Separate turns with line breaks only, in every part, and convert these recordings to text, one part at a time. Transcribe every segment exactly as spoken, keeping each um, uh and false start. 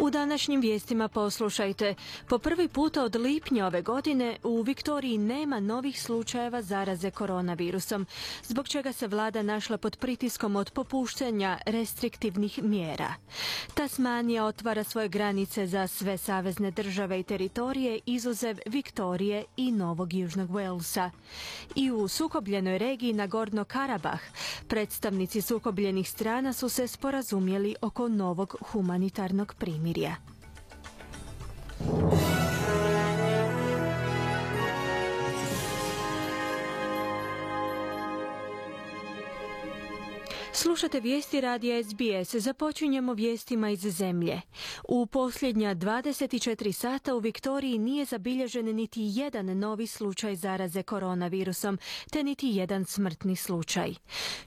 U današnjim vijestima poslušajte. Po prvi puta od lipnja ove godine u Viktoriji nema novih slučajeva zaraze koronavirusom, zbog čega se vlada našla pod pritiskom od popuštanja restriktivnih mjera. Tasmanija otvara svoje granice za sve savezne države i teritorije izuzev Viktorije i Novog Južnog Walesa. I u sukobljenoj regiji Nagorno Karabah predstavnici sukobljenih strana su se sporazumjeli oko novog humanitarnog primirja. Slušate vijesti radija S B S. Započinjemo vijestima iz zemlje. U posljednja dvadeset četiri sata u Viktoriji nije zabilježen niti jedan novi slučaj zaraze koronavirusom, te niti jedan smrtni slučaj.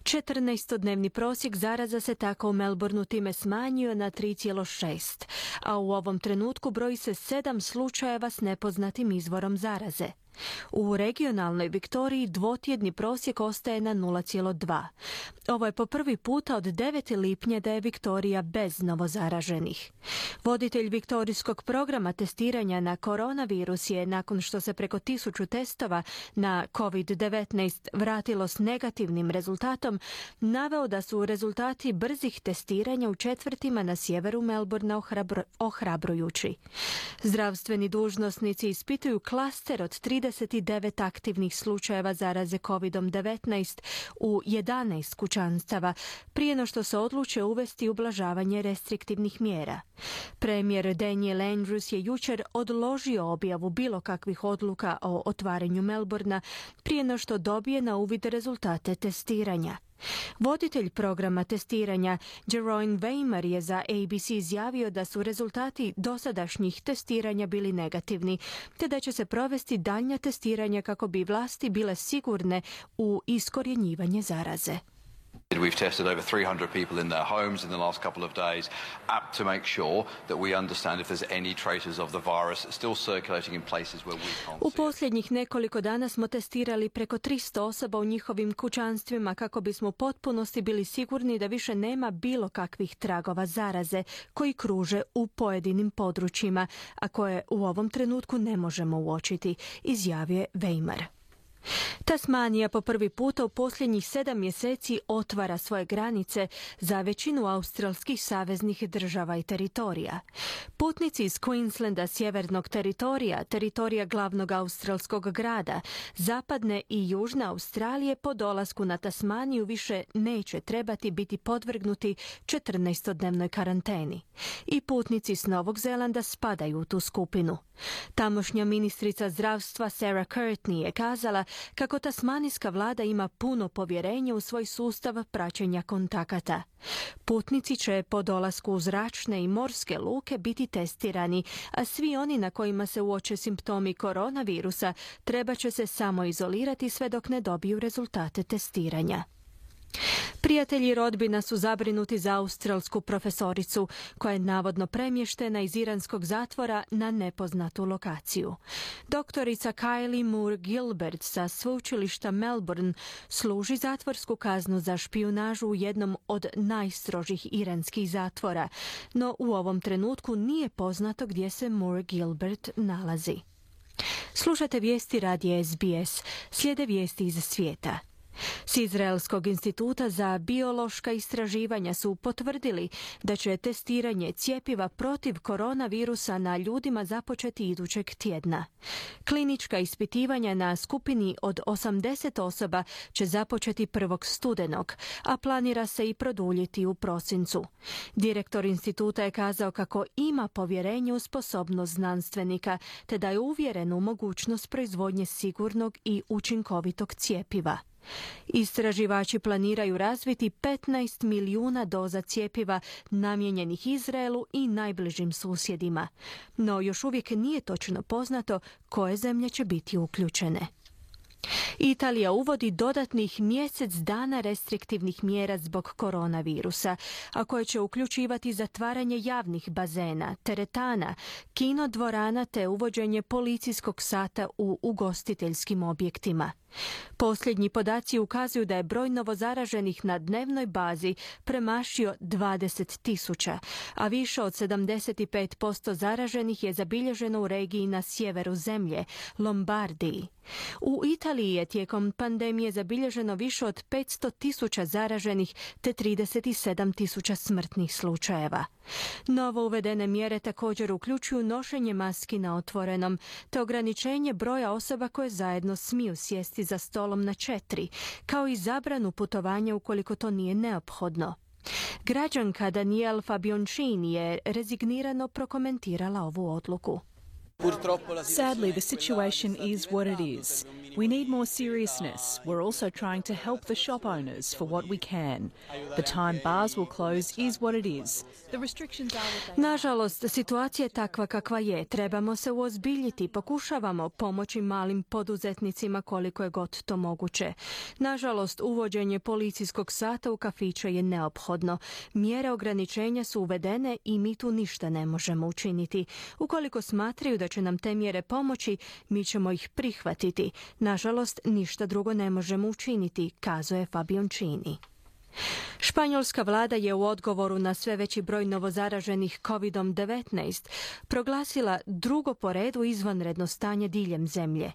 četrnaestodnevni prosjek zaraza se tako u Melbourneu time smanjio na tri zarez šest, a u ovom trenutku broji se sedam slučajeva s nepoznatim izvorom zaraze. U regionalnoj Viktoriji dvotjedni prosjek ostaje na nula zarez dva. Ovo je po prvi puta od devetog lipnja da je Viktorija bez novozaraženih. Voditelj viktorijskog programa testiranja na koronavirus je, nakon što se preko tisuću testova na covid devetnaest vratilo s negativnim rezultatom, naveo da su rezultati brzih testiranja u četvrtima na sjeveru Melbournea ohrabro, ohrabrujući. Zdravstveni dužnosnici ispituju klaster od trideset devet aktivnih slučajeva zaraze covid devetnaest u jedanaest kućanstava, prije no što se odluče uvesti ublažavanje restriktivnih mjera. Premijer Daniel Andrews je jučer odložio objavu bilo kakvih odluka o otvaranju Melbournea prije no što dobije na uvid rezultate testiranja. Voditelj programa testiranja Jeroen Weimer je za A B C izjavio da su rezultati dosadašnjih testiranja bili negativni, te da će se provesti daljnja testiranja kako bi vlasti bile sigurne u iskorjenjivanje zaraze.
We've tested over three hundred people in their homes in the last couple of days uh, to make sure that we understand if there's any traces of the virus still circulating in places where we can't
U
see it.
posljednjih nekoliko dana smo testirali preko tristo osoba u njihovim kućanstvima kako bismo u potpunosti bili sigurni da više nema bilo kakvih tragova zaraze koji kruže u pojedinim područjima, a koje u ovom trenutku ne možemo uočiti, izjavio je Weimer. Tasmanija po prvi puta u posljednjih sedam mjeseci otvara svoje granice za većinu australskih saveznih država i teritorija. Putnici iz Queenslanda, sjevernog teritorija, teritorija glavnog australskog grada, zapadne i južne Australije po dolasku na Tasmaniju više neće trebati biti podvrgnuti četrnaestodnevnoj karanteni. I putnici s Novog Zelanda spadaju u tu skupinu. Tamošnja ministrica zdravstva Sarah Courtney je kazala kako tasmanijska vlada ima puno povjerenje u svoj sustav praćenja kontakata. Putnici će po dolasku u zračne i morske luke biti testirani, a svi oni na kojima se uoče simptomi koronavirusa treba će se samo izolirati sve dok ne dobiju rezultate testiranja. Prijatelji rodbina su zabrinuti za australsku profesoricu koja je navodno premještena iz iranskog zatvora na nepoznatu lokaciju. Doktorica Kylie Moore Gilbert sa sveučilišta Melbourne služi zatvorsku kaznu za špijunažu u jednom od najstrožih iranskih zatvora, no u ovom trenutku nije poznato gdje se Moore Gilbert nalazi. Slušate vijesti radija S B S. Slijede vijesti iz svijeta. S Izraelskog instituta za biološka istraživanja su potvrdili da će testiranje cjepiva protiv koronavirusa na ljudima započeti idućeg tjedna. Klinička ispitivanja na skupini od osamdeset osoba će započeti prvog studenog, a planira se i produljiti u prosincu. Direktor instituta je kazao kako ima povjerenje u sposobnost znanstvenika, te da je uvjeren u mogućnost proizvodnje sigurnog i učinkovitog cjepiva. Istraživači planiraju razviti petnaest milijuna doza cjepiva namijenjenih Izraelu i najbližim susjedima, no još uvijek nije točno poznato koje zemlje će biti uključene. Italija uvodi dodatnih mjesec dana restriktivnih mjera zbog koronavirusa, a koje će uključivati zatvaranje javnih bazena, teretana, kino dvorana te uvođenje policijskog sata u ugostiteljskim objektima. Posljednji podaci ukazuju da je broj novozaraženih na dnevnoj bazi premašio dvadeset tisuća, a više od sedamdeset pet posto zaraženih je zabilježeno u regiji na sjeveru zemlje, Lombardiji. U Italiji je tijekom pandemije zabilježeno više od petsto tisuća zaraženih te trideset sedam tisuća smrtnih slučajeva. Novo uvedene mjere također uključuju nošenje maski na otvorenom te ograničenje broja osoba koje zajedno smiju sjesti za stolom na četiri, kao i zabranu putovanja ukoliko to nije neophodno. Građanka Danielle Fabioncini je rezignirano prokomentirala ovu odluku.
Sadly, the situation is what it is. We need more seriousness. We're also trying to help the shop owners for what we can. The time bars will close is what it is. The restrictions are what they are.
Nažalost, situacija je takva kakva je. Trebamo se uozbiljiti. Pokušavamo pomoći malim poduzetnicima koliko je god to moguće. Nažalost, uvođenje policijskog sata u kafiće je neophodno. Mjere ograničenja su uvedene i mi tu ništa ne možemo učiniti. Ukoliko smatraju da će nam te mjere pomoći, mi ćemo ih prihvatiti. Nažalost, ništa drugo ne možemo učiniti, kazuje Fabioncini. Španjolska vlada je u odgovoru na sve veći broj novozaraženih kovid devetnaest proglasila drugo po redu izvanredno stanje diljem zemlje.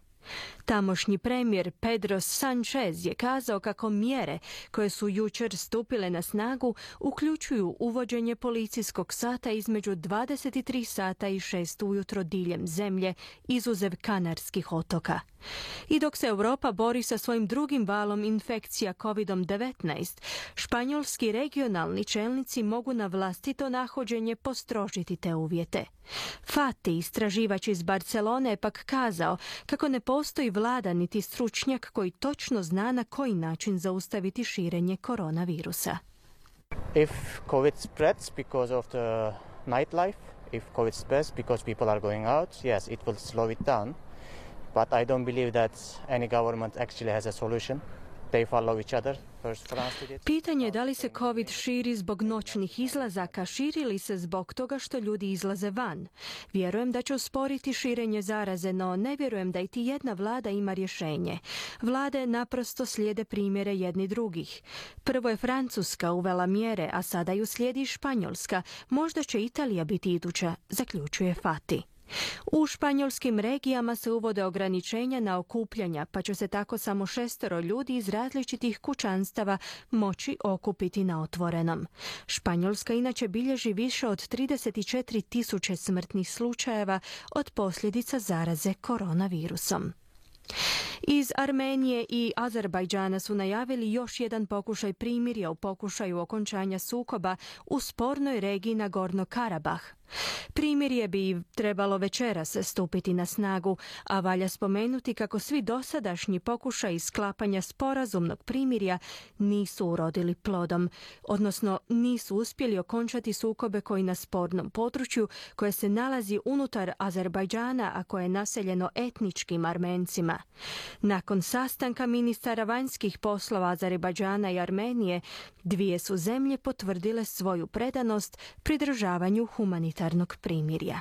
Tamošnji premijer Pedro Sánchez je kazao kako mjere koje su jučer stupile na snagu uključuju uvođenje policijskog sata između dvadeset tri sata i šest ujutro diljem zemlje, izuzev Kanarskih otoka. I dok se Europa bori sa svojim drugim valom infekcija kovid devetnaest, španjolski regionalni čelnici mogu na vlastito nahođenje postrožiti te uvjete. Fati, istraživač iz Barcelone, je pak kazao kako ne postoji vlada niti stručnjak koji točno zna na koji način zaustaviti širenje koronavirusa.
If COVID spreads because of the nightlife, if COVID spreads because people are going out, yes, it will slow it down. But I don't believe that any government actually has a solution. They follow each other. First France did it.
Pitanje je da li se COVID širi zbog noćnih izlazaka, širi li se zbog toga što ljudi izlaze van. Vjerujem da će usporiti širenje zaraze, no ne vjerujem da iti jedna vlada ima rješenje. Vlade naprosto slijede primjere jedni drugih. Prvo je Francuska uvela mjere, a sada ju slijedi Španjolska. Možda će Italija biti iduća, zaključuje Fati. U španjolskim regijama se uvode ograničenja na okupljanja, pa će se tako samo šestero ljudi iz različitih kućanstava moći okupiti na otvorenom. Španjolska inače bilježi više od trideset četiri tisuće smrtnih slučajeva od posljedica zaraze koronavirusom. Iz Armenije i Azerbajdžana su najavili još jedan pokušaj primirja u pokušaju okončanja sukoba u spornoj regiji Nagorno-Karabah. Primirje bi trebalo večeras stupiti na snagu, a valja spomenuti kako svi dosadašnji pokušaji sklapanja sporazumnog primirja nisu urodili plodom, odnosno nisu uspjeli okončati sukobe koji na spornom području koje se nalazi unutar Azerbajdžana, a koje je naseljeno etničkim Armencima. Nakon sastanka ministara vanjskih poslova Azerbajdžana i Armenije, dvije su zemlje potvrdile svoju predanost pridržavanju humanitarnog primirja.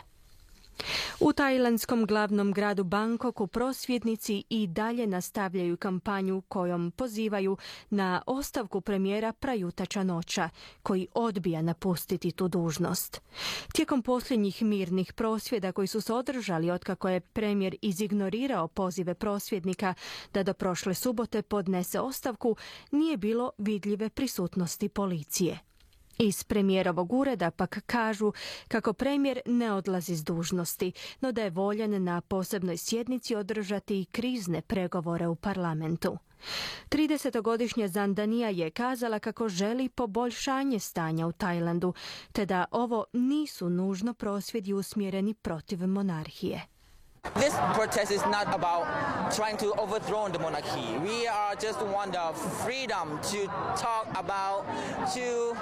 U tajlandskom glavnom gradu Bangkoku prosvjednici i dalje nastavljaju kampanju kojom pozivaju na ostavku premijera Prayuta Chan-ocha, koji odbija napustiti tu dužnost. Tijekom posljednjih mirnih prosvjeda koji su se održali otkako je premijer izignorirao pozive prosvjednika da do prošle subote podnese ostavku, nije bilo vidljive prisutnosti policije. Iz premijerovog ureda pak kažu kako premijer ne odlazi s dužnosti, no da je voljan na posebnoj sjednici održati krizne pregovore u parlamentu. tridesetogodišnja Zandanija je kazala kako želi poboljšanje stanja u Tajlandu, te da ovo nisu nužno prosvjedi usmjereni protiv monarhije.
This protest is not about trying to overthrow the monarchy. We are just want the freedom to talk about to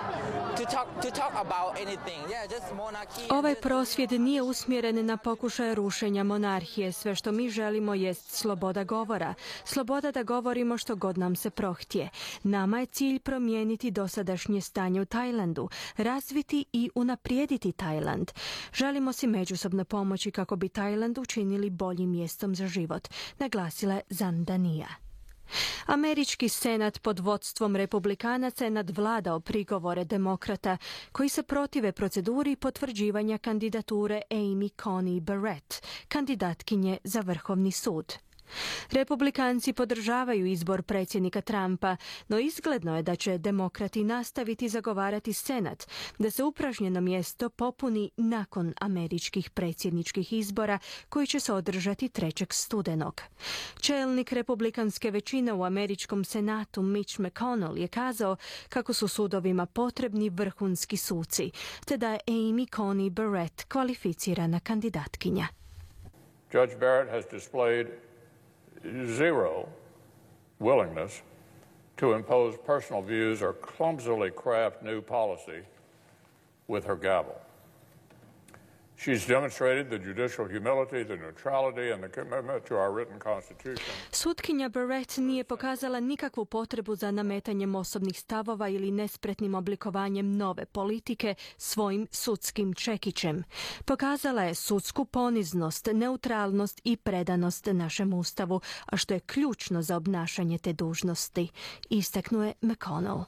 to talk to talk about anything. Yeah, just monarchy.
Ovaj prosvjed nije usmjeren na pokušaj rušenja monarhije. Sve što mi želimo jest sloboda govora. Sloboda da govorimo što god nam se prohtje. Nama je cilj promijeniti dosadašnje stanje u Tajlandu, razviti i unaprijediti Tajland. Želimo si međusobno pomoći kako bi Tajland učinili boljim mjestom za život, naglasila je Zandanija. Američki senat pod vodstvom republikanaca je nadvladao prigovore demokrata koji se protive proceduri potvrđivanja kandidature Amy Coney Barrett, kandidatkinje za Vrhovni sud. Republikanci podržavaju izbor predsjednika Trumpa, no izgledno je da će demokrati nastaviti zagovarati senat da se upražnjeno mjesto popuni nakon američkih predsjedničkih izbora koji će se održati trećeg studenog. Čelnik republikanske većine u američkom senatu Mitch McConnell je kazao kako su sudovima potrebni vrhunski suci, te da je Amy Coney Barrett kvalificirana kandidatkinja.
Judge Barrett has displayed zero willingness to impose personal views or clumsily craft new policy with her gavel. She's demonstrated the judicial humility, the neutrality, and the commitment to our written constitution.
Sutkinja Barrett nije pokazala nikakvu potrebu za nametanjem osobnih stavova ili nespretnim oblikovanjem nove politike svojim sudskim čekićem. Pokazala je sudsku poniznost, neutralnost i predanost našem ustavu, a što je ključno za obnašanje te dužnosti, istaknuo je McConnell.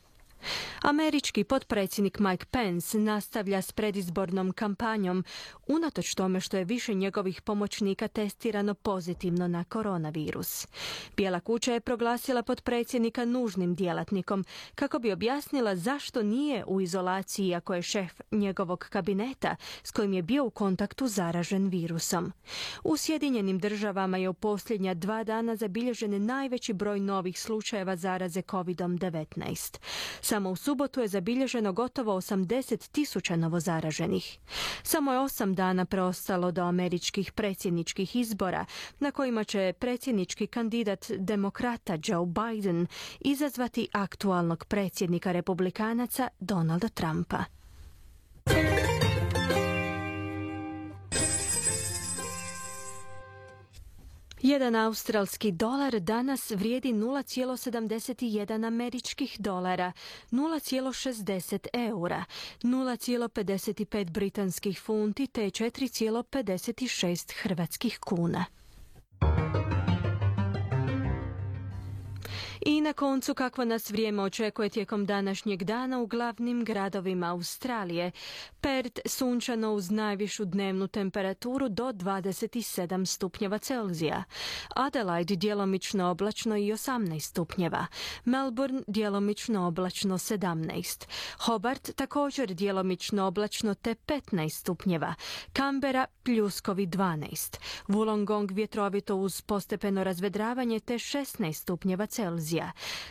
Američki potpredsjednik Mike Pence nastavlja s predizbornom kampanjom, unatoč tome što je više njegovih pomoćnika testirano pozitivno na koronavirus. Bijela kuća je proglasila potpredsjednika nužnim djelatnikom kako bi objasnila zašto nije u izolaciji ako je šef njegovog kabineta s kojim je bio u kontaktu zaražen virusom. U Sjedinjenim državama je u posljednja dva dana zabilježen najveći broj novih slučajeva zaraze kovid devetnaest. Samo u subotu je zabilježeno gotovo osamdeset tisuća novozaraženih. Samo je osam dana preostalo do američkih predsjedničkih izbora, na kojima će predsjednički kandidat demokrata Joe Biden izazvati aktualnog predsjednika republikanaca Donalda Trumpa. Jedan australski dolar danas vrijedi nula zarez sedamdeset jedan američkih dolara, nula zarez šezdeset eura, nula zarez pedeset pet britanskih funti te četiri zarez pedeset šest hrvatskih kuna. I na koncu kakvo nas vrijeme očekuje tijekom današnjeg dana u glavnim gradovima Australije. Perth sunčano uz najvišu dnevnu temperaturu do dvadeset sedam stupnjeva Celzija. Adelaide djelomično oblačno i osamnaest stupnjeva. Melbourne djelomično oblačno sedamnaest. Hobart također djelomično oblačno te petnaest stupnjeva. Canberra pljuskovi dvanaest. Wollongong vjetrovito uz postepeno razvedravanje te šesnaest stupnjeva Celzija.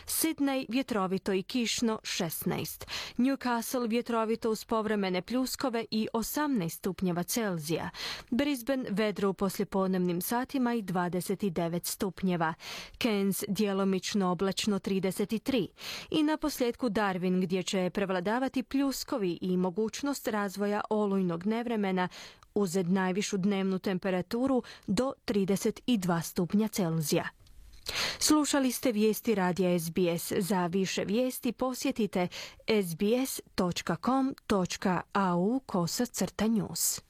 Sydney vjetrovito i kišno šesnaest. Newcastle vjetrovito uz povremene pljuskove i osamnaest stupnjeva Celzija. Brisbane vedro u poslijepodnevnim satima i dvadeset devet stupnjeva. Cairns djelomično oblačno trideset tri. I na posljedku Darwin gdje će prevladavati pljuskovi i mogućnost razvoja olujnog nevremena uz najvišu dnevnu temperaturu do trideset dva stupnja Celzija. Slušali ste vijesti radija S B S. Za više vijesti posjetite sbs točka com točka au kosacrta news.